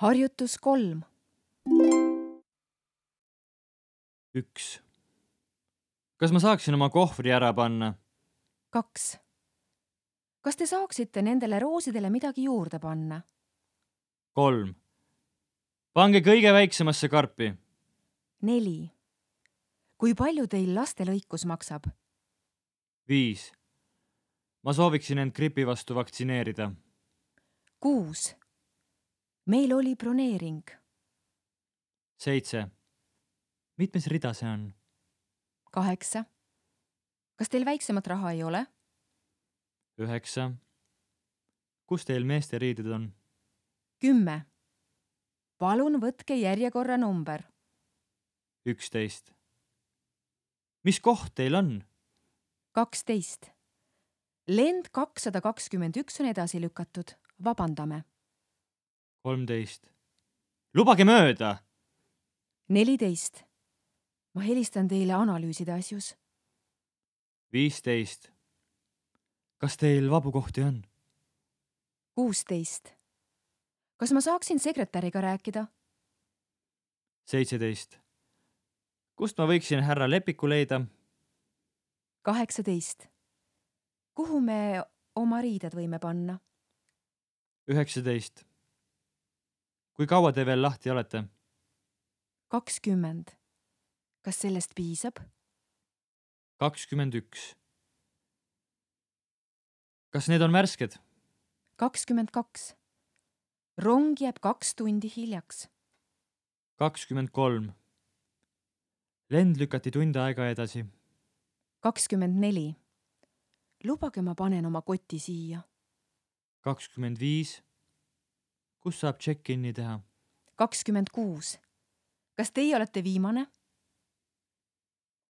Harjutus 3. 1. Kas ma saaksin oma kohvri ära panna? 2. Kas te saaksite nendele roosidele midagi juurde panna? 3. Pange kõige väiksemasse karpi. 4. Kui palju teil lastelõikus maksab? 5. Ma sooviksin end gripi vastu vaktsineerida. 6. Meil oli broneering. 7. Mitmes rida see on? 8. Kas teil väiksemat raha ei ole? 9. Kus teil meeste riided on? 10. Palun võtke järjekorra number. 11. Mis koht teil on? 12. Lend 221 on edasi lükatud. Vabandame. 13. Lubage mööda! 14. Ma helistan teile analüüside asjus. 15. Kas teil vabu kohti on? 16. Kas ma saaksin sekretäriga rääkida? 17. Kust ma võiksin härra Lepiku leida? 18. Kuhu me oma riided võime panna? 19. Kui kaua te veel lahti olete? 20. Kas sellest piisab? 21. Kas need on värsked? 22. Rong jääb 2 tundi hiljaks. 23. Lend lükati tund aega edasi. 24. Lubage ma panen oma koti siia. 25. Kus saab check-in'i teha? 26. Kas teie olete viimane?